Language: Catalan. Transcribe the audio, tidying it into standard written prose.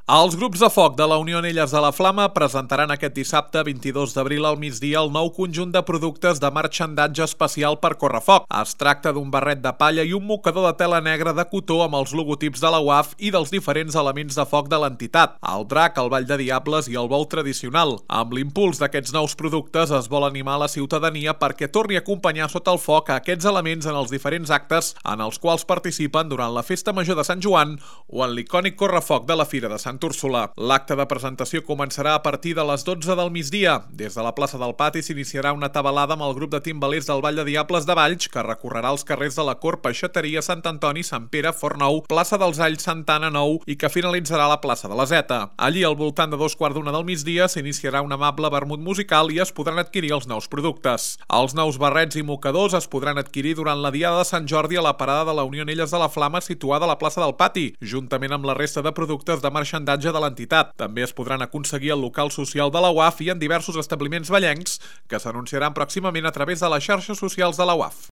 Els grups de foc de la Unió Anelles de la Flama presentaran aquest dissabte 22 d'abril al migdia el nou conjunt de productes de marxandatge especial per correfoc. Es tracta d'un barret de palla i un mocador de tela negra de cotó amb els logotips de la UAF i dels diferents elements de foc de l'entitat, el drac, el ball de diables i el bou tradicional. Amb l'impuls d'aquests nous productes es vol animar la ciutadania perquè torni a acompanyar sota el foc a aquests elements en els diferents actes en els quals participen durant la Festa Major de Sant Joan o en l'icònic correfoc de la Fira de Sant Úrsula. L'acte de presentació començarà a partir de les 12 del migdia. Des de la plaça del Pati s'iniciarà una tabalada amb el grup de timbalers del Ball de Diables de Valls, que recorrerà els carrers de la Cort, Peixateria, Sant Antoni, Sant Pere, Fortnou, plaça dels Alls, Santana, Nou i que finalitzarà a la plaça de la Zeta. Allí, al voltant de 2:15 del migdia, s'iniciarà un amable vermut musical i es podran adquirir els nous productes. Els nous barrets i mocadors es podran adquirir durant la Diada de Sant Jordi a la parada de la Unió Anelles de la Flama situada a la plaça del Pati, juntament amb la resta de productes de marxandatge de l'entitat. També es podran aconseguir al local social de la UAF i en diversos establiments vallencs que s'anunciaran pròximament a través de les xarxes socials de la UAF.